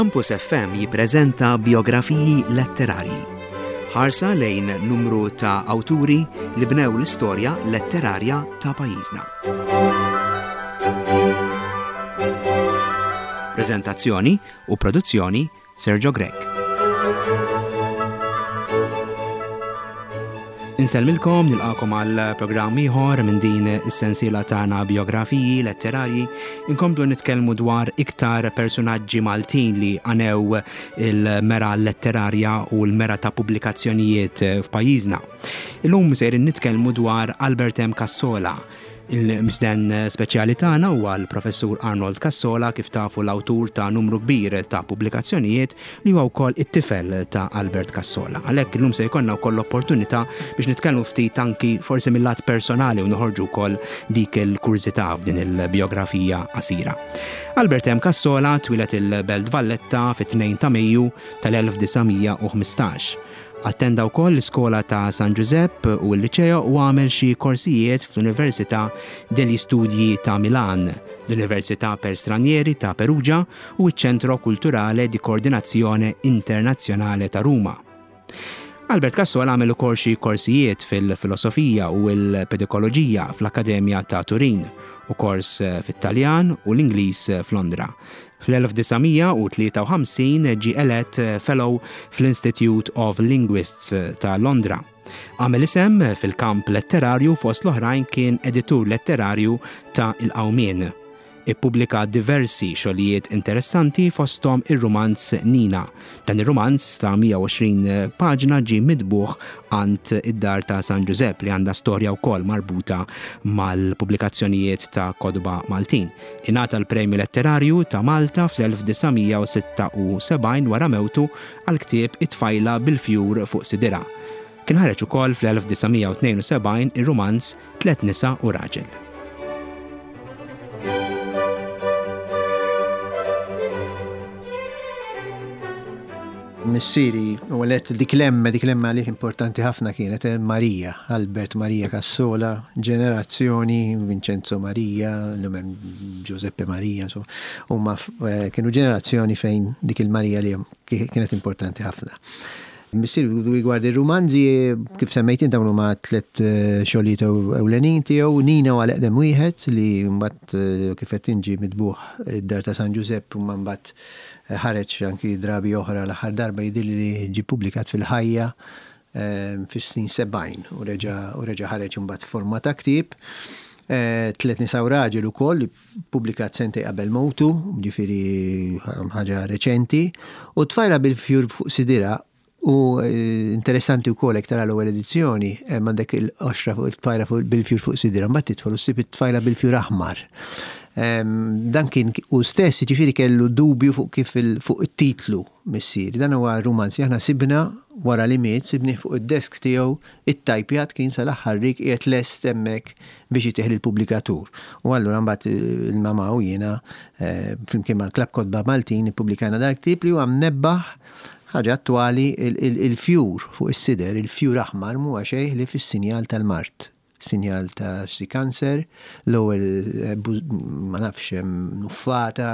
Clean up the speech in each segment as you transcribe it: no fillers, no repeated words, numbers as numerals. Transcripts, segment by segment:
Campus FM jippreżenta biografiji letterarji. Ħarsa lejn numru ta' awturi li bnew l-istorja letterarja ta' pajjiżna. Preżentazzjoni u produzzjoni Sergio Grech. Insellmilkom nilqakom għal programm ieħor minn din is-sensiela tagħna biografiji letterarji. Inkomplu nitkellmu dwar iktar personaġġi Maltin li għanew il-mera letterarja u l-mera ta' pubblikazzjonijiet f'pajjiżna. Illum sejrin nitkellmu dwar Albert M. Cassola, Il-mistieden speċjali tagħna huwa l-Professur Arnold Cassola, kif tafu l-awtur ta' numru kbir ta' pubblikazzjonijiet li huwa wkoll it-tifel ta' Albert Cassola. Għalhekk illum se jkollna wkoll l-opportunità biex nitkellmu ftit anki forsi mill-lat personali u noħorġu wkoll dik il-kurżità f'din il-bijografija qasira. Albert M. Cassola twieled il-Belt Valletta fit-2 ta' Mejju tal-1915. Attenda wkoll l-iskola ta' San Ġużepp u l-Liċeo u għamel xi korsijiet fl-Università degli Studi ta' Milan, l-Università per Stranieri ta' Perugia u ċ-Centro Culturale di Coordinazione Internazzjonale ta' Ruma. Albert Cassola għamel ukoll xi korsijiet fil-filosofija u l-pedikoloġija fl-Akkademja ta' Turin u kors fit-Taljan u l-Ingliż f'Londra. Fl-1953 ġie elett Fellow fl-Institute of Linguists ta' Londra. Għamel isem fil-kamp letterarju fost l-oħrajn kien editur letterarju ta' Il-Qawmien. Ippubblika diversi xogħlijiet interessanti fosthom ir-rumanz Nina. Dan ir-rumanz ta' 120 paġna ġie mitbugħ għand id-Dar ta' San Ġużepp li għandha storja wkoll marbuta mal-pubblikazzjonijiet ta' kotba Maltin. Ingħata l-Premju Letterarju ta' Malta fl-1976 wara mewtu għall-ktieb It-Tfajla bil-Fjur fuq Sidirha. Kien ħareġ ukoll fl-1972 ir-rumanz Tliet Nisa u Raġel. Missieri, u għalet dik l-emme, dik l-emme għalih importanti ħafna kienet eh, Marija, Albert Maria Cassola, ġenerazzjoni Vincenzo Maria, l-lum hemm Giuseppe Maria, insomma, huma eh, kienu ġenerazzjoni fejn dik il-Marija li kienet importanti ħafna. Missier rigward ir-rumanzi, kif semmejt int dawn huma tlet eh, xogħlijiet ewlenin tiegħu, Nina huwa l-eqdem wieħed li mbagħad kif qed inġi mitbuħ id-dar ta' San Ġużepp u mbagħad Ħareġ anki drabi oħra, l-aħħar darba jidhirli li ġie ppubblikat fil-Ħajja fis-snin 70 u reġa' u reġa' ħareġ imbagħad f'forma ta' ktieb. Tliet Nisa u Raġel ukoll li ppubblikat sentejn qabel mewtu, ġifieri ħaġa reċenti. U Tfajla bil-Fjur fuq Sidirha U interessanti wkoll hekk tara l-ewwel edizzjoni, hemm għandek il-qoxra fuq it-tfajla fuq bil-fjur fuq sidra, mbagħad tidħol u ssib it-tfajla bil-fjur aħmar. Dan kien u stess jiġifieri kellu dubju fuq kif fuq it-titlu missieri. Dan huwa rumanz li aħna sibna wara li miet, sibnih fuq id-desk tiegħu, ittajpjat kien sal-aħħar rig qiegħed lest hemmhekk biex itih lill-pubblikatur. U allura mbagħad il-mamà u jiena flimkien mal-Klabb Kotba Maltin ippubblikajna dal-ktieb li huwa mnebbaħ Ħaġa attwali, il-fjur fuq is-sider, il-fjur aħmar m'huwa xejn ħlief is-sinjal tal-mard, sinjal ta' xi kanser, l-ewwel ma nafx nuffata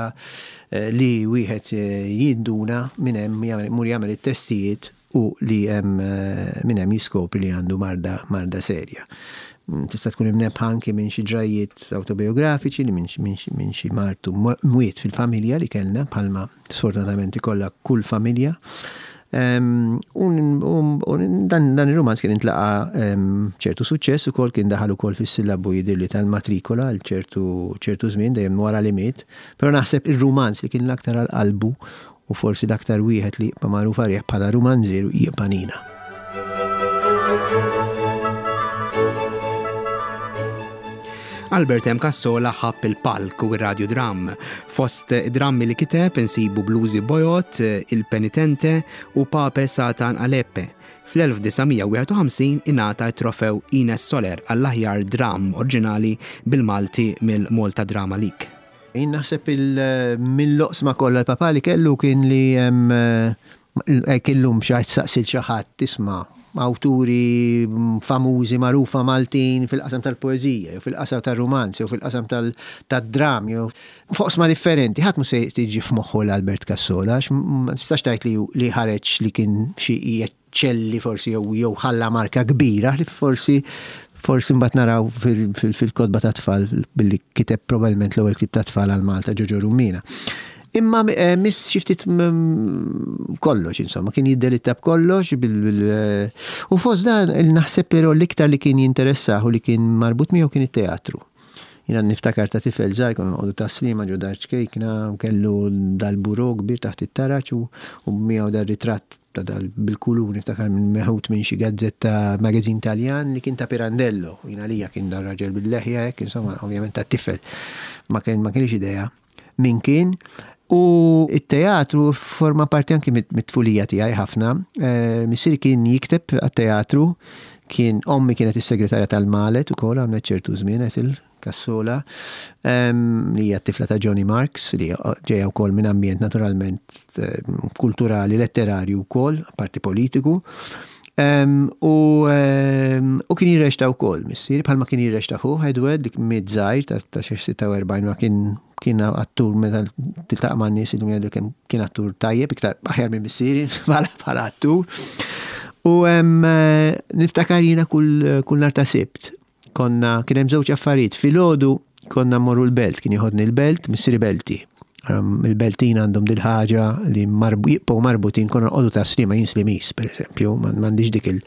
li wieħed jinduna minn hemm imur jagħmel it-testijiet u li hemm minn hemm jiskopri li għandu marda marda serja. Tista' tkun imnebbħa anki minn xi ġrajjiet awtobijografiċi li minn xi mard u mwiet fil-familja li kellna bħalma sfortunatament ikollha kull familja. U dan ir-rumanz kien intlaqa' ċertu suċċess ukoll kien daħal ukoll fis-sillabu jidhirli tal-matrikola għal ċertu ċertu żmien dejjem wara li miet. Però naħseb ir-rumanz li kien l-aktar għal qalbu u forsi l-aktar wieħed li jibqa' magħruf għalih bħala rumanzier jibqa' Nina. Albert M. Cassola ħabb il-palk u r-radjudram. Fost id-drammi li kiteb insibu Blużi Bojod, Il-Penitente u Pape Satan Aleppe. Fl-1951 ingħata t-trofew Ines Soler għall-aħjar dramm oriġinali bil-Malti mill-Malta Drama League. Jien naħseb mill-oqsma kollha l-papà li kellu kien li hekk illum xi ħadd saqsi 'l xi ħadd isma' awturi famużi magħrufa Maltin fil-qasam tal-poeżija, jew fil-qasam tar-rumanz, jew fil-qasam tad-dram, jew f'oqsma differenti, ħadd mhu se tiġi f'moħħu l-Albert Cassola, għax ma tistax tgħid li li ħareġ li kien xi jeċċelli forsi jew jew ħalla marka kbira li forsi forsi mbagħad naraw fil-kotba tat-tfal billi kiteb probabbilment l-ewwel ktieb tat-tfal għal Malta Ġoġo Rummina. Imma eh, miss xi ftit kollox, insomma, kien jiddelitta b'kollox bil eh, u fost dan naħseb però l-iktar li kien jinteressah u li kien marbut miegħu kien it-teatru. Jiena niftakar ta' tifel żgħir konna noqogħdu Tas-Sliema ġo dar ċkejkna u kellu dal-bureau kbir taħt it-taraġ u miegħu dar-ritratt ta' dal bil-kulur niftakar minn meħud minn xi gazzetta magazine Taljan li kien ta' Pirandello. Jien għalija kien dar-raġel bil-leħja hekk, insomma, ovvjament ta' tifel ma kien ma kienx idea min kien. U t-teatru forma parti anki mit-tfulija tiegħi ħafna. Eh, missieri kien jikteb għat-teatru, kien ommi kienet is-segretarja tal-Malet ukoll għamlet ċertu żmien Ethel Cassola, li hija t-tifla ta' Johnny Marks, li ġejja wkoll minn ambjent naturalment kulturali, letterarju wkoll, apparti politiku. U kien jirrexta wkoll missieri, bħalma kien jirrexta ħuh Edward, dik miet żgħir ta' xi 46 ma kien kien attur meta tiltaqa' man-nies illum jgħidu kemm kien attur tajjeb, iktar aħjar minn missieri bħala attur. U niftakar jiena kull kull nhar ta' Sibt konna kien hemm żewġ affarijiet. Filgħodu konna mmorru l-belt, kien jieħodni l-belt, missieri Belti. Il-Beltin għandhom dil-ħaġa li jibqgħu marbutin konna nqogħdu ta' Sliema jien Slimiż, pereżempju, m'għandix dik il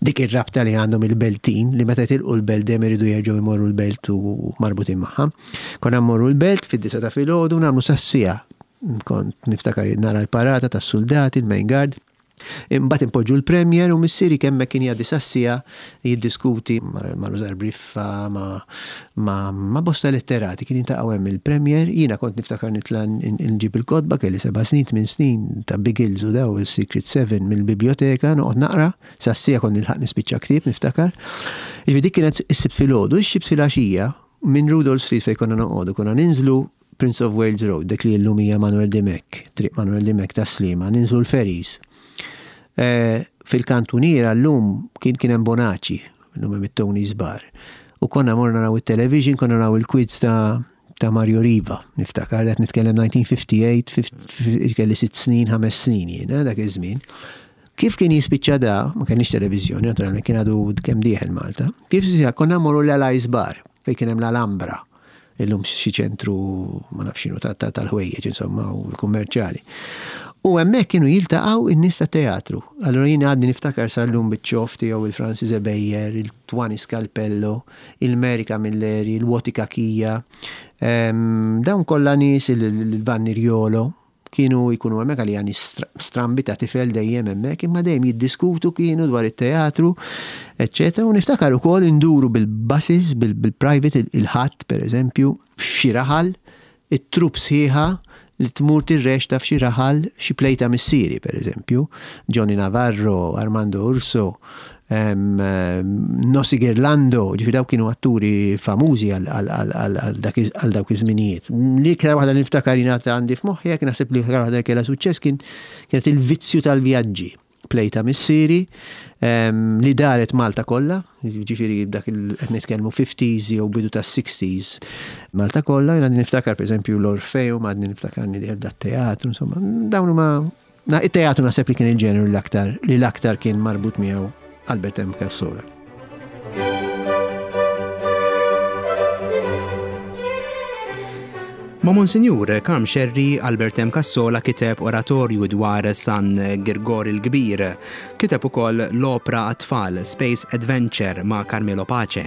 dik ir-rabta li għandhom il-Beltin li meta jitilqu l-belt dejjem iridu jerġgħu jmorru l-belt u marbutin magħha. Konna mmorru l-belt fid-disgħa ta' filgħodu nagħmlu sas-siegħa. Kont niftakar nara l-parata tas-suldati, il-main guard. Imbagħad inpoġġu l-Premier u missieri kemm hekk kien jgħaddi sas-siegħa jiddiskuti ma' Rużar Briffa, ma' bosta letterati kien jiltaqgħu hemm il-Premier. Jiena kont niftakar nitla' nġib il-kotba, kelli seba' snin, tmien snin ta' Biggles u daw il-Secret Seven mill-biblioteka noqgħod naqra, sas-siegħa kont nilħaq nispiċċa ktieb niftakar. Jiġifieri dik kienet is-Sibt filgħodu, ix-Sibt filgħaxija minn Rudolph Street fejn konna noqogħdu konna ninżlu Prince of Wales Road, dik li llum hija Manuel Dimech, Triq Manuel Dimech tas-Sliema, ninżlu l-ferries. Eh, fil-kantuniera llum kien kien hemm Bonaci, llum hemm it-Tony's Bar. U konna morna naraw it-television, konna naraw il-quiz ta' ta' Mario Riva, niftakar, qed nitkellem 1958, kelli sitt snin, ħames snin jien, eh, dak iż-żmien. Kif kien jispiċċa da, ma kenniex televiżjoni, naturalment kien għadu kemm dieħel Malta. Kif konna morru l-Allies Bar, fejn kien hemm l-Alhambra. Illum xi ċentru ma nafx x'inhu tal-ħwejjeġ insomma u kummerċjali. U hemmhekk kienu jiltaqgħu n-nies tat-teatru. Allura jien għadni niftakar sal-lum biċ-ċoff tiegħu il-Francis Ebejer, il-Twani Scalpello, il-Mary Camilleri, il-Woti Cachia, dawn kollha nies il-Vanni Riolo, Kienu jkunu hemmhekk għalija nies strambi ta' tifel dejjem hemmhekk, imma dejjem jiddiskutu kienu dwar it-teatru, eċċetera. U niftakar ukoll induru bil-buses, bil-private, il-Ħadd pereżempju, f'xi raħal, it-trupp sħiħa li tmur tirreċta f'xi raħal xi play ta' missieri pereżempju, Johnny Navarro, Armando Urso, Nossi Girlando, ġifieri dawk kienu atturi famużi għal dawk iż-żminijiet. L-iktar waħda li niftakar jiena għandi f'moħħi jekk naħseb li l-iktar waħda li kellha suċċess kien kienet il-vizzju tal-vjaġġi. Play ta' missieri li daret Malta kollha, ġifieri dak qed nitkellmu 50s jew bidu tas-60s. Malta kollha, jien għadni niftakar pereżempju l-Orfeum, għadni niftakar nidher dat-teatru, insomma, dawn huma It-teatru naħseb li kien il-ġeneru l-aktar li l-aktar kien marbut miegħu Albert M. Cassola. Ma' Monsinjur Karm Scerri, Albert M. Cassola kiteb oratorju dwar San Girgor il-Kbir. Kiteb ukoll l-opra għat-tfal Space Adventure ma' Carmelo Pace.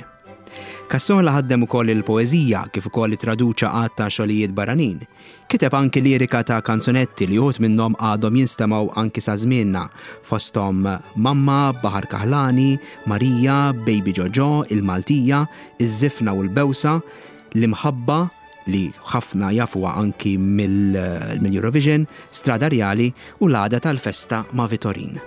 Cassola ħaddem ukoll il-poeżija kif ukoll ittraduċa għadd ta' xogħlijiet barranin. Kiteb anki lirika ta' kanzunetti li uħud minnhom għadhom jinstemgħu anki sa żmienna, fosthom Mamma, Baħar Kaħlani, Marija, Baby Ġoġo, Il-Maltija, Iż-Żifna u l-Bewsa, L-Imħabba, li ħafna jafuha anki mill-Eurovision, Strada Rjali u L-Għada tal-Festa ma' Vitorin.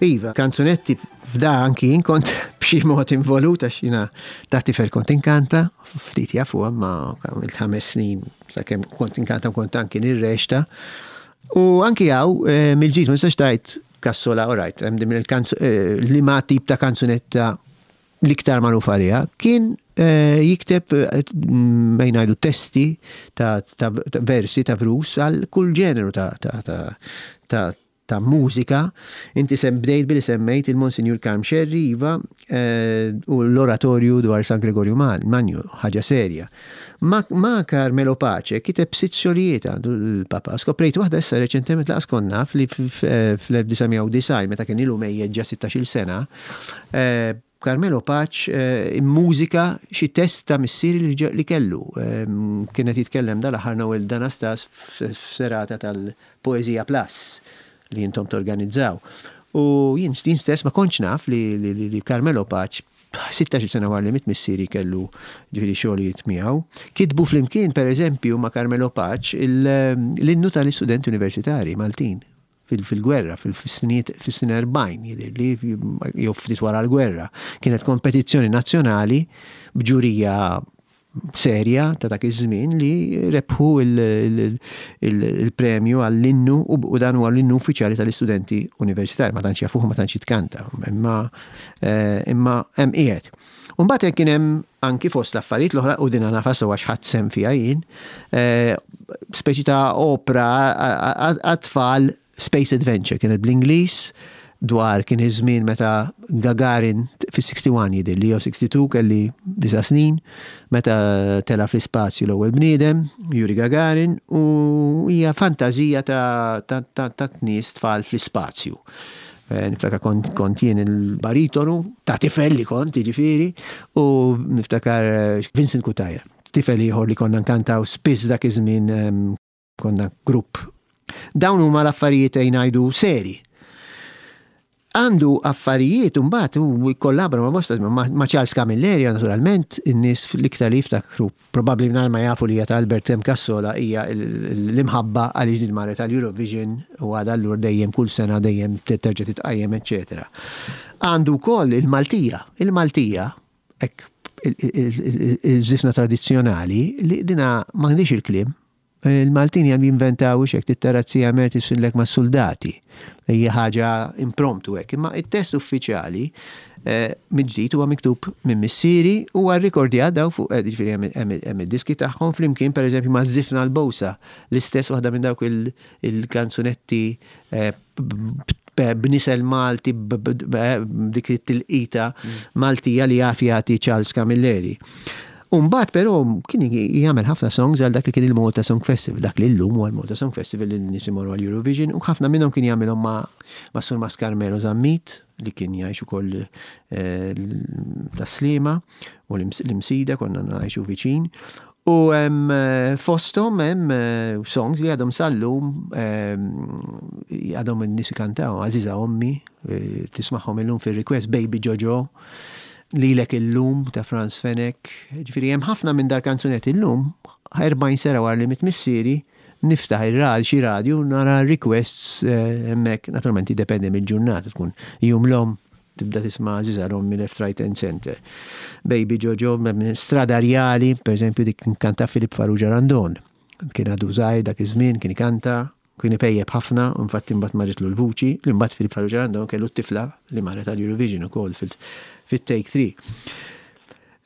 Iva, kanzunetti f'da anki jien kont b'xi mod involut għax jiena ta' tifel kont inkanta, ftit jafu ma għamilt ħames snin sakemm kont inkanta kont anki nirrexta. U anki hawn eh, mill-ġid ma nistax tgħid Cassola, all right, hemm din eh, li ma tip ta' kanzunetta l-iktar magħruf għaliha, kien eh, jikteb eh, bejn ngħidu testi ta' versi ta' vrus għal kull ġeneru ta' ta' mużika. Inti sem bdejt billi semmejt il-Monsinjur Karm Xerri, iva, eh, u l-oratorju dwar San Gregorju Magnu, ħaġa serja. Ma, ma Carmelo Pace kiteb sitt xogħlijiet għandu l-Papa. Skoprejt waħda issa reċentement laqas kont naf li fl-1990 meta kien ilu mejjet ġa 16-il sena, eh, Carmelo Pace eh, immużika xi test ta' missieri li kellu. Kien qed jitkellem dal-aħħar Noel Danastas f'serata tal-Poeżija Plus li intom torganizzaw. U jien stess ma kontx naf li Carmelo Pace 16 sena wara li miet missieri kellu ġifieri xogħlijiet miegħu. Kitbu flimkien pereżempju ma' Carmelo Pace l-innu tal-istudenti universitari Maltin fil-gwerra, fis-snin 40 jidhirli, jew ftit wara l-gwerra. Kienet kompetizzjoni nazzjonali b'ġurija serja ta' dak iż-żmien li rebħu il-premju għall-innu u dan huwa l-innu uffiċjali tal-istudenti universitari, ma tantx jafuh ma tantx jitkanta, imma eh, imma hemm qiegħed. U mbagħad kien hemm anki fost l-affarijiet l-oħra u din nafha sew għax ħadd sem fiha jien, eh, speċi ta' opra għat-tfal Space Adventure kienet bl-Ingliż dwar kien iż-żmien meta Gagarin fis-61 jidhirli jew 62 kelli disa' snin meta tela' fl-ispazju l-ewwel bniedem, Yuri Gagarin, u hija fantażija ta' ta' ta' nies tfal fl-ispazju. Eh, niftakar kont, kont jien il-baritonu, ta' tifel li kont, jiġifieri, u niftakar eh, Vincent Cutajar, tifel ieħor li konna nkantaw spiss dak iż-żmien ehm, Konna grupp. Dawn huma l-affarijiet ejn ngħidu seri. Għandu affarijiet imbagħad u jkollabra ma' bosta ma' Charles Camilleri naturalment in-nies l-iktar li jiftakru probabbli mingħajr ma jafu li hija ta' Albert M. Cassola hija l-imħabba għaliex din marret għal Eurovision u għadha allura dejjem kull sena dejjem terġa' titqajjem eċċetera. Għandu wkoll il-Maltija. Il-Maltija hekk il-żifna tradizzjonali li dina m'għandix il-kliem. Il-Maltin jam jinventaw hekk tit-tarazzija mer tisfillek mas-suldati. Hija ħaġa impromptu hekk. Imma it-test uffiċjali eh, mill-ġdid huwa miktub minn missieri u huwa rrikordjat daw fuq eh, ġifieri hemm id-diski tagħhom flimkien pereżempju ma' Żifna l-Bowsa, l-istess waħda minn dawk il-kanzunetti eh, b'nisel Malti b'dik it-tilqita Maltija li jaf jagħti Charles Camilleri. Umbagħad però kien jagħmel ħafna songs għal dak li kien il-Malta Song Festival, dak li llum huwa l-Malta Song Festival li n-nies imorru għal Eurovision u ħafna minnhom kien jagħmilhom ma' Sur Mas Carmelo Zammit li kien jgħix ukoll eh, tas-Sliema u l-Imsida konna ngħixu viċin. U hemm eh, fosthom hemm eh, songs li għadhom sal-lum għadhom in-nies ikantaw, Għażiża Ommi, tismagħhom illum fir-request, Baby Jojo, Lilek Illum ta' Frans Fenech. Ġifieri hemm ħafna minn dar kanzunetti illum, 40 sena wara li miet missieri, niftaħ ir-rad xi radju nara requests eh, hemmhekk, naturalment jiddependi mill-ġurnata tkun jum l-om tibda tisma' Għażiża l-Ommi left right and center. Baby Jojo, Strada Rjali, per eżempju dik kanta Filip Farrugia Randon. Kien għadu żgħir dak iż-żmien, kien ikanta, Kien ipejjep ħafna u infatti mbagħad marritlu l-vuċi, li mbagħad Filip Farrugia Randon kellu t-tifla li marret għal Eurovision ukoll fit-Take 3.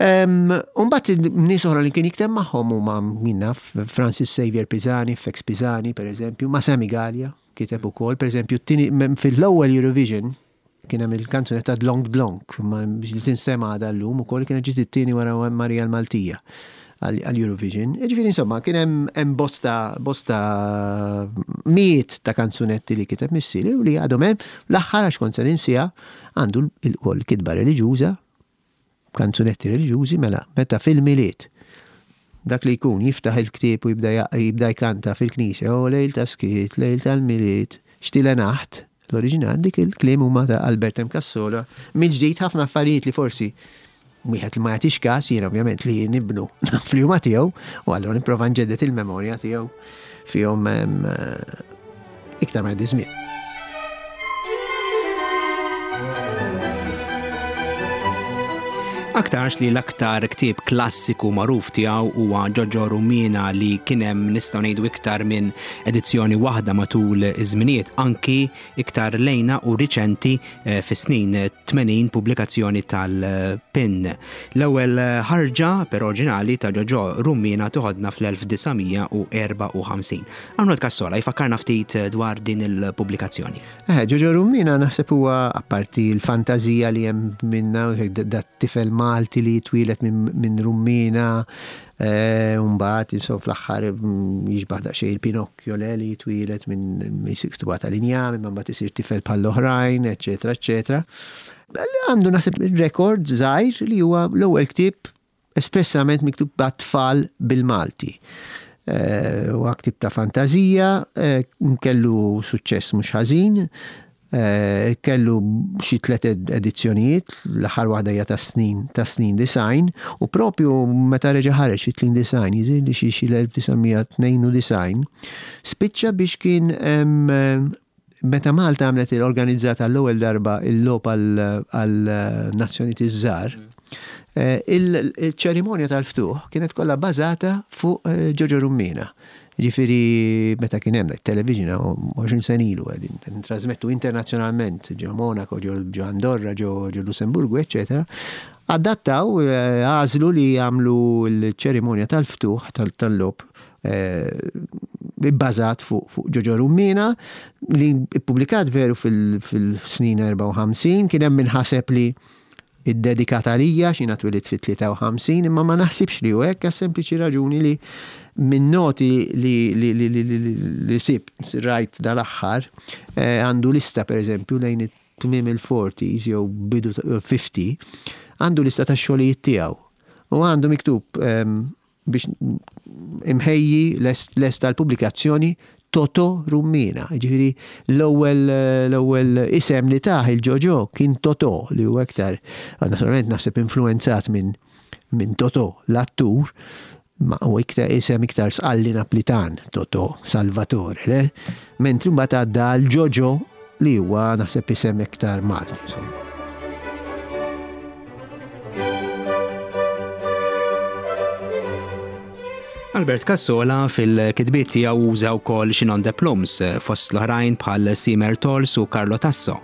U mbagħad nies oħra li kien jikteb magħhom huma min naf Francis Xavier Pisani, Fex Pisani pereżempju, ma' Sammy Galea kiteb ukoll, pereżempju fil-ewwel Eurovision Kien hemm il-kanzunetta Dlonk Dlonk, li tinstema' għadha llum ukoll kienet ġiet it-tieni wara Marija l-Maltija għall-Eurovision. Jiġifieri insomma kien hemm bosta bosta mijiet ta' kanzunetti li kiteb missieri u li għadhom hemm. L-aħħar għax kont se ninsiha għandu wkoll kitba reliġjuża kanzunetti reliġjużi mela meta fil-Milied dak li jkun jiftaħ il-ktieb u jibda jibda jkanta fil-knisja o lejl ta' skiet, lejl tal-Milied, xtile naħt, l-oriġinal dik il-kliem huma ta' Albert M. Cassola. Mill-ġdid ħafna affarijiet li forsi wieħed li ma jagħtix każ jien ovvjament li nibnu naf li huma tiegħu u allura nipprova nġedded il-memorja tiegħu fihom iktar ma jgħaddi żmien. Aktarx li l-aktar ktieb klassiku magħruf tiegħu huwa Ġoġo Rumina li kien hemm nistgħu ngħidu iktar minn edizzjoni waħda matul iż-żminijiet anki iktar lejna u riċenti eh, fis-snin 80 pubblikazzjoni tal-PIN. L-ewwel ħarġa per oriġinali ta' Ġoġo Rumina toħodna fl-1954. Arnold Cassola jfakkarna ftit dwar din il-pubblikazzjoni. Eh, Ġoġo Rummina naħseb huwa apparti l-fantażija li hemm minna, dat tifel Malti li jitwielet minn Rummina, eh, u mbagħad insomma fl-aħħar mm, jixbaħ daqsxejn il-Pinocchio le li jitwielet minn siktuba tal-injam, imma mbagħad isir tifel bħall-oħrajn, eċetera, eċetera. Għandu naħseb rekord żgħir li huwa l-ewwel ktieb espressament miktub għat-tfal bil-Malti. Eh, huwa ktieb ta' fantażija, eh, kellu suċċess mhux ħażin, eh, kellu xi tliet edizzjonijiet, l-aħħar waħda hija ta' snin ta' snin design, u propju meta reġa' ħareġ fi tnin design, jiżir li xi l-1992, spiċċa biex kien Meta Malta għamlet organizzat għall-ewwel darba il-logħob għall-nazzjonijiet iż-żgħar, eh, il-ċerimonja tal-ftuħ kienet kollha bażata fuq eh, Ġoġo Rummina. Ġifieri meta kien hemm television 20 sen ilu qegħdin trasmettu internazzjonalment ġo Monaco, ġo Andorra, ġo Lussemburgu, eċċetera. Adattaw eh, għażlu li jagħmlu l-ċerimonja tal-ftuħ tal-logħob bbażat fuq Ġoġo Rummina li ppubblikat veru fil-snin 54, kien hemm min ħaseb li iddedikat għalija x'jiena twilidt fit-53, imma ma naħsibx li hu hekk għas-sempliċi raġuni li minn noti li li sibt rajt dal-aħħar eh, għandu lista pereżempju lejn it-tmiem il-40s jew bidu 50 għandu lista tax-xogħlijiet tiegħu. U għandu miktub ehm, biex imħejji lest għall-pubblikazzjoni Toto Rummina. Jiġifieri l-ewwel l-ewwel isem li tah il-Ġoġo kien Toto li huwa iktar naturalment naħseb influwenzat minn minn Toto l-attur ma hu iktar isem iktar Sqalli Naplitan Toto Salvatore, le? Mentri mbagħad għadda għal Ġoġo li huwa naħseb isem iktar Malti insomma. Albert Cassola fil-kitbiet tiegħu uża wkoll xi non de plums fost l-oħrajn bħal Simer Tols u Carlo Tasso.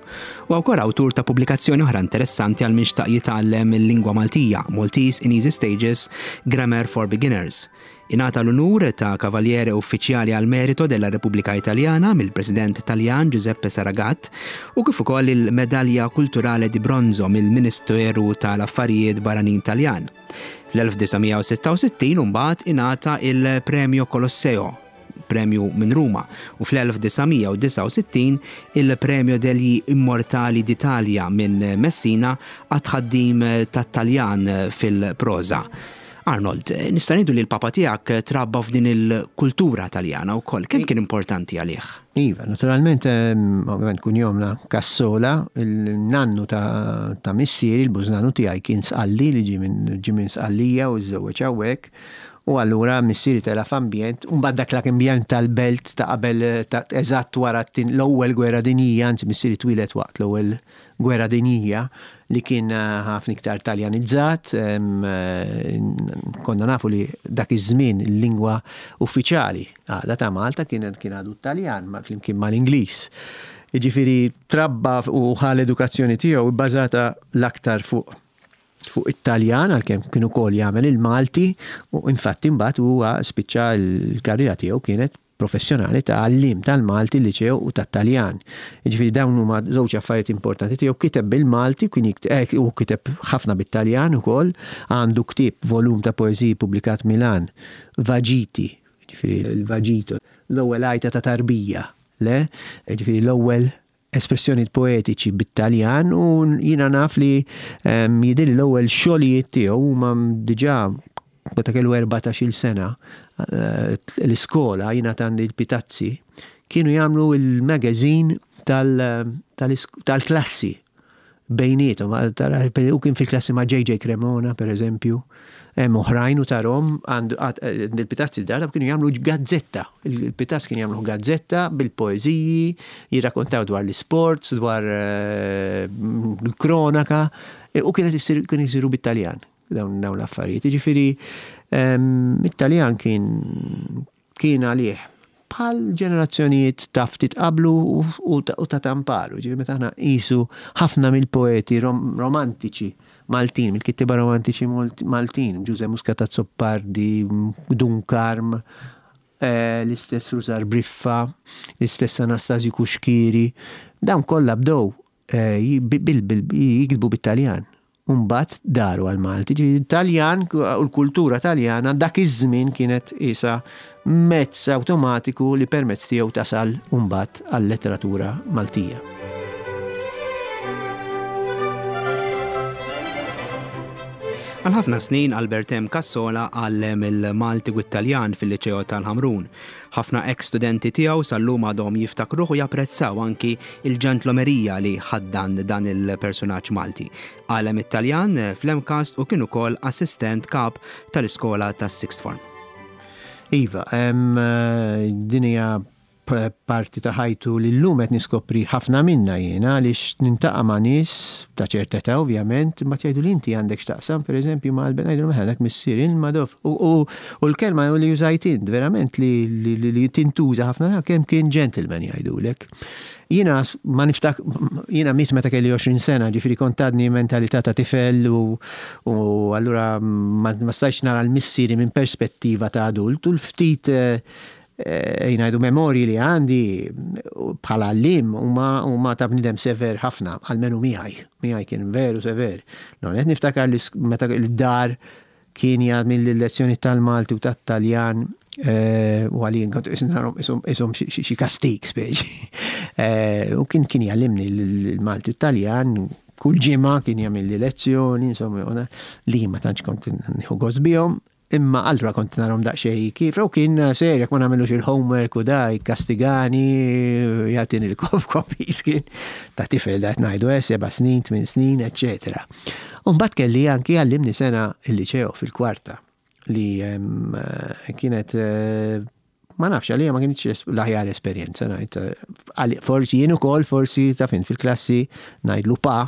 U wkoll awtur ta' pubblikazzjoni oħra interessanti għal min xtaq jitgħallem il-lingwa Maltija, Maltese in Easy Stages, Grammar for Beginners. Ingħata l-unur ta' Cavaliere Uffiċjali al Merito della Repubblica Italiana mill-President Taljan Giuseppe Saragat u kif ukoll il-Medalja Culturale di Bronzo mill-Ministeru tal-Affarijiet Barranin Taljan. Fl-1966 imbagħad ingħata il-Premio Colosseo, premju minn Ruma, u fl-1969 il-Premio degli Immortali d'Italia minn Messina għat-tħaddim tat-Taljan fil-proża. Arnold, nista' ngħidu li l-papa tiegħek trabba f'din il-kultura Taljana wkoll. Kemm kien importanti għalih? Iva, naturalment, ovvjament kunjomna Cassola, il-nannu ta' missieri, il-bużnannu tiegħi kien Sqalli li ġie minn ġie minn Sqallija u żżewweġ hawnhekk. U allura missieri tela' f'ambjent, u mbagħad dak l-ambjent tal-belt ta' qabel ta' eżatt wara l-ewwel gwerra dinjija, anzi missieri twieled waqt l-ewwel Gwerra Dinjija li kien ħafna iktar Taljanizzat, konna nafu li dak iż-żmien il-lingwa uffiċjali għada ta' Malta kien għadu t-Taljan flimkien mal-Ingliż. Jiġifieri trabba u ħa l-edukazzjoni tiegħu bbażata l-aktar fuq fuq it-Taljan għalkemm kien ukoll jagħmel il-Malti u infatti mbagħad huwa spiċċa l-karriera tiegħu kienet professjonali ta' għalliem tal-Malti l-Liċeo u tat-Taljan. Jiġifieri dawn huma żewġ affarijiet importanti tiegħu. Kiteb bil-Malti kien eh, u kiteb ħafna bit-Taljan ukoll, għandu ktieb volum ta' poeżiji pubblikat Milan, Vagiti, jiġifieri l-vagito, l-ewwel għajta ta' tarbija, le? Jiġifieri l-ewwel espressjonijiet poetiċi bit-Taljan u jiena naf li ehm, jidhirli l-ewwel xogħlijiet tiegħu huma diġà meta kellu 14-il sena eh, l-iskola jiena għandi l-Pitazzi kienu jagħmlu il-magazine tal-klassi bejniethom. U kien fil-klassi ma' JJ Cremona, per eżempju, hemm oħrajn u tarhom għand il-Pitazzi darba kienu jagħmlu gazzetta. Il-Pitazz kien jagħmlu gazzetta bil-poeżiji, jirrakkontaw dwar l-isports, dwar eh, l-kronaka. U kienet issir kien isiru bit-Taljan dawn dawn l-affarijiet. Jiġifieri it-Taljan kien kien għalih bħal ġenerazzjonijiet ta' ftit qablu u ta' tamparu. Ġifieri meta aħna nqisu ħafna mill-poeti romantiċi Maltin, mill-kittieba romantiċi Maltin, Ġużè Muscat Azzopardi, Dun Karm, l-istess Rużar Briffa, l-istess Anastasju Cuschieri, dawn kollha bdew jiktbu bit-Taljan. U mbagħad daru għall-Malti. Ġifieri t-Taljan u l-kultura Taljana dak iż-żmien kienet qisha mezz awtomatiku li permezz tiegħu tasal mbagħad għal-letteratura Maltija. Għal ħafna snin Albert M. Cassola għallem il-Malti u t-Taljan fil-Liċeo tal-Ħamrun. Ħafna eks studenti tiegħu sal-lum għadhom jiftakruh u japprezzaw anki il-ġentlomerija li ħaddan dan il-persunaġġ Malti. Għallem it-Taljan fl-MCAST u kien ukoll assistent kap tal-iskola tas-Sixth Form. Iva, din hija parti ta' ħajtu li llum qed niskopri ħafna minnha jiena għaliex nintaqa' ma' nies ta' ċerta età ovvjament, imbagħad jgħiduli inti għandek x'taqsam pereżempju ma' Albert ngħidilhom eħe dak missier il-Madoff. U l-kelma li użajt int verament li tintuża ħafna kemm kien gentleman jgħidulek. Jiena ma niftak, jiena miet meta kelli 20 sena, ġifieri kont għadni mentalità ta' tifel u, u allura ma, ma stajtx nara l-missieri minn perspettiva ta' adult u l-ftit eh, eh, jnajdu memorji li għandi bħala għallim huma huma ta' bniedem sever ħafna, almenu miegħi. Miegħi kien veru sever. Non qed niftakar li meta l-dar Kien jagħmilli l-lezzjoni tal-Malti u tat-Taljan u għalin kont isom xi kastik speċi. U kien kien jgħallimni l-Malti u t-Taljan kull ġimgħa kien jagħmilli lezzjoni, insomma, li ma tantx kont nieħu gost bihom, imma allura kont narhom daqsxejn kif, u kien serjek ma nagħmilux il-homework u da jikkastigani, jagħtini l-copies kien ta' tifel da qed ngħidu eh, seba' snin, tmien snin, eċċetera. U mbagħad kelli anki għallimni sena il-liċeo fil-kwarta li kienet ma nafx għalija ma kienx l-aħjar esperjenza ngħid. Forsi jien ukoll forsi ta' fin fil-klassi ngħidlu pa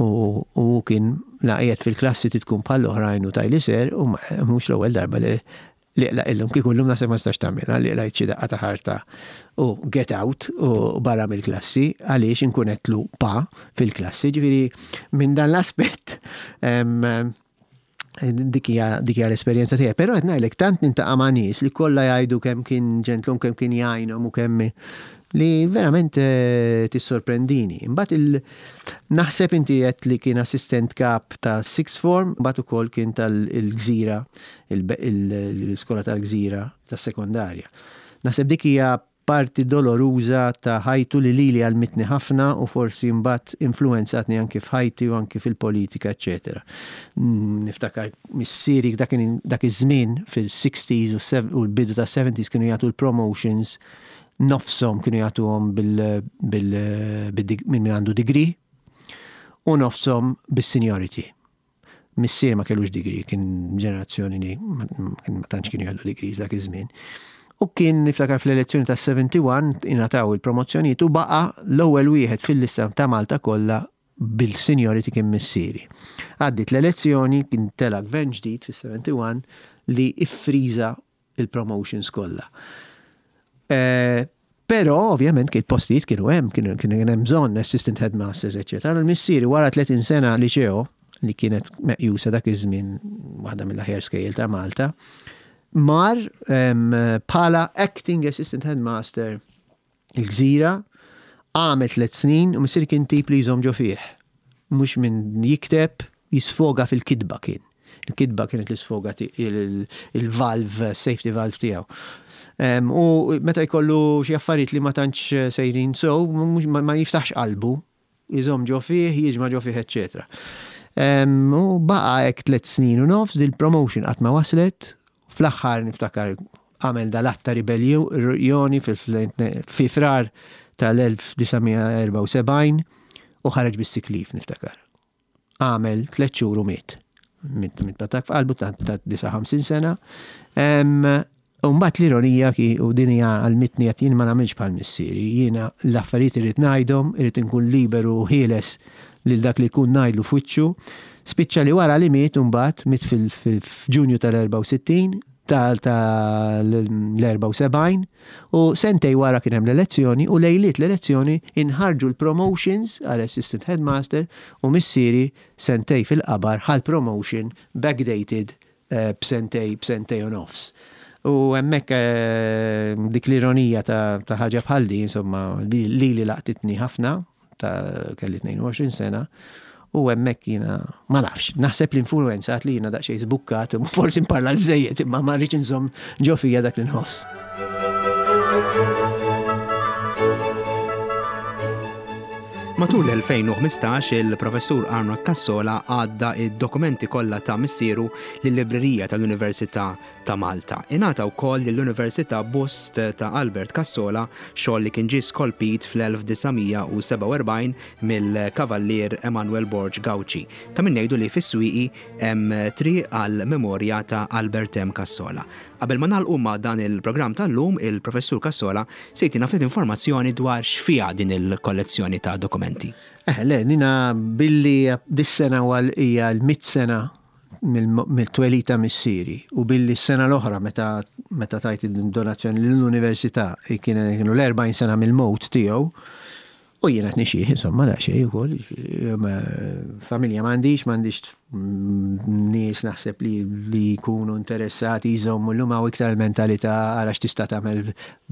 u kien la qiegħed fil-klassi titkun bħal oħrajn u tajli ser u mhux l-ewwel darba li Li qlaq illum, kieku llum naħseb ma tistax tagħmilha, li qlajt xi daqqa ta' ħarta u get out u barra mill-klassi għaliex inkun għedtlu pa fil-klassi. Ġifieri minn dan l-aspett dik hija dik hija l-esperjenza tiegħi. Però qed ngħidlek tant nintaqa' ma' nies li kollha jgħidu kemm kien ġentlum, kemm kien jgħinhom u kemm li verament eh, tissorprendini. Imbagħad il naħseb inti qed li kien assistent kap ta' sixth form, mbagħad ukoll kien tal-gżira l-iskola tal-gżira tas-sekondarja. Naħseb dik hija parti doloruża ta' ħajtu li lili għallmitni ħafna u forsi mbagħad influwenzatni anki f'ħajti u anki fil-politika eċċetera. Niftakar missieri dak dak iż-żmien fil-60s u l-bidu tas-70s kienu jagħtu l-promotions nofshom kienu jagħtuhom bil bil minn min għandu degree u nofshom bis-seniority. Missier ma kellux degree, kien ġenerazzjoni li ma tantx kienu jgħaddu degrees dak iż-żmien. U kien niftakar fl-elezzjoni ta' 71 ingħataw il-promozzjonijiet u baqa' l-ewwel wieħed fil-lista ta' Malta kollha bil-seniority kien missieri. Għaddiet l-elezzjoni, kien tela' gvern ġdid fis-71 li iffriża il-promotions kollha. Eh, però ovvjament kien postijiet kienu hemm, kienu kien hemm bżonn assistant headmasters, eċċetera. L-missieri wara 30 sena liċeo li kienet meqjusa dak iż-żmien waħda mill-aħjar skejjel ta' Malta, mar bħala acting assistant headmaster il-gżira, għamel tlet snin u missieri kien tip li jżomm ġo fih. Mhux minn jikteb, jisfoga fil-kitba kien. Il-kitba kienet l-isfoga il-valve, safety valve tiegħu. U meta jkollu xi affarijiet li ma tantx sejrin so, ma jiftaħx qalbu, jżomm ġo fih, jiġma' ġo fih, eċċetera. U baqa' hekk tlet snin u nofs, dil-promotion qatt ma waslet, fl-aħħar niftakar għamel dal-att ta' ribelljoni fi Frar tal-1974 u ħareġ bis-sick leave niftakar. Għamel tlet xhur u miet. Miet miet b'attakk f'qalbu ta' 59 sena. U mbagħad l-ironija ki u din hija għalmitni qed jien ma nagħmilx bħal missieri. Jiena l-affarijiet irrid ngħidhom, irrid inkun liberu u ħieles lil dak li jkun ngħidlu f'wiċċu. Spiċċa li wara li miet imbagħad, miet f'Ġunju tal-64, tal-74, u sentej wara kien hemm l-elezzjoni u lejliet l-elezzjoni inħarġu l-promotions għal assistant headmaster u missieri sentej fil-qabar ħa l-promotion backdated b'sentej b'sentej u nofs. U hemmhekk dik l-ironija ta' ħaġa bħal di, insomma, lili laqtitni ħafna, ta' kelli 22 sena, u hemmhekk jiena ma nafx, naħseb l-influenzat li jiena daqsxejn żbukkat, forsi nparla żejjed, imma ma rridx inżomm ġo fija dak li nħoss. Matul l-2015 il-Professur Arnold Cassola għadda id-dokumenti kollha ta' missieru lil-Librerija tal-Università ta' Malta. Ingħata wkoll lill-Università bust ta' Albert Cassola, xogħol li kien ġie skolpit fl-1947 mill-Kavallier Emanuel Borg Gauci. Ta' min ngħidu li fis-Swieqi hemm triq għall-memorja ta' Albert M. Cassola. Qabel ma nagħlqu ma' dan il-programm tal-lum, il-Professur Cassola se jtina ftit informazzjoni dwar x'fiha din il-kollezzjoni ta' dokumenti. Eh, le, nina billi dis-sena hija l-mitt sena mill-twelid ta' missieri u billi s-sena l-oħra meta meta tajt id-donazzjoni lill-università kienu l-40 sena mill-mewt tiegħu, U jiena qed nixjieħ, insomma, daqsxejn ukoll, familja m'għandix, m'għandix nies naħseb li li jkunu interessati jżommu llum hawn iktar il-mentalità ara x'tista' tagħmel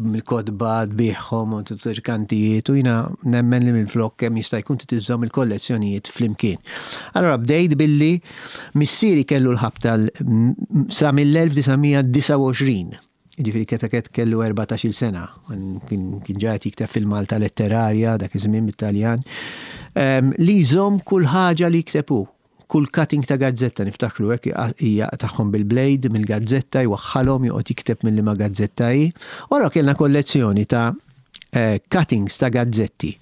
mill-kotba tbigħhom u tirkantijiet u jiena nemmen li minflok kemm jista' jkun trid iżżomm il-kollezzjonijiet flimkien. Allura bdejt billi missieri kellu l-ħabta sa mill-1929. Jiġifieri Ketaket kellu erbatax-il sena, kien ġa qed jikteb fil-Malta Letterarja dak iż-żmien bit-Taljan, li jżomm kull ħaġa li jikteb hu, kull cutting ta' gazzetta niftakru hekk jaqtagħhom bil-blade mill-gazzetta, jwaħħalhom, joqgħod jikteb minn liema gazzetta hi. U allura kellna kollezzjoni ta' cuttings ta' gazzetti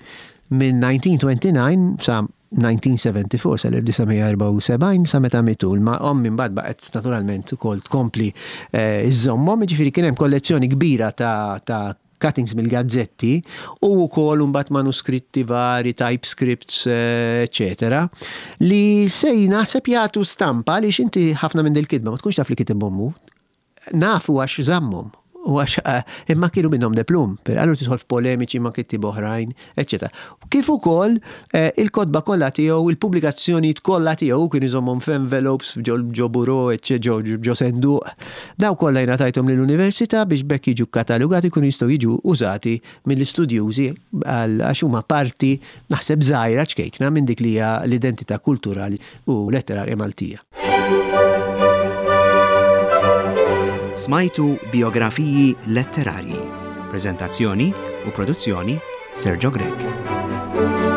minn 1929 sa 1974, sal-1974, sa meta miet hu. Imma ommi mbagħad baqgħet naturalment ukoll tkompli żżommhom, jiġifieri kien hemm kollezzjoni kbira ta' ta' cuttings mill-gazzetti u wkoll imbagħad manuskritti vari, typescripts, eċċetera, li se naħseb jagħtu stampa għaliex inti ħafna minn dil-kitba ma tkunx taf li kitibhom hu. Nafu għax żammhom u għax imma kienu minnhom de plum, per allura tidħol f'polemiċi ma' kittieba oħrajn, eċċetera. Kif ukoll il-kotba kollha tiegħu, il-pubblikazzjonijiet kollha tiegħu, hu kien iżommhom f'envelopes, ġo bureau, eċċetera, ġo senduq. Dawn kollha jiena tajthom lill-università biex b'hekk jiġu kkatalugati jkunu jistgħu jiġu użati mill-istudjużi għax huma parti, naħseb żgħira ċkejkna, minn dik li hija l-identità kulturali u letterarja Maltija. Smajtu Bijografiji Letterarji. Preżentazzjoni u produzzjoni Sergio Grech.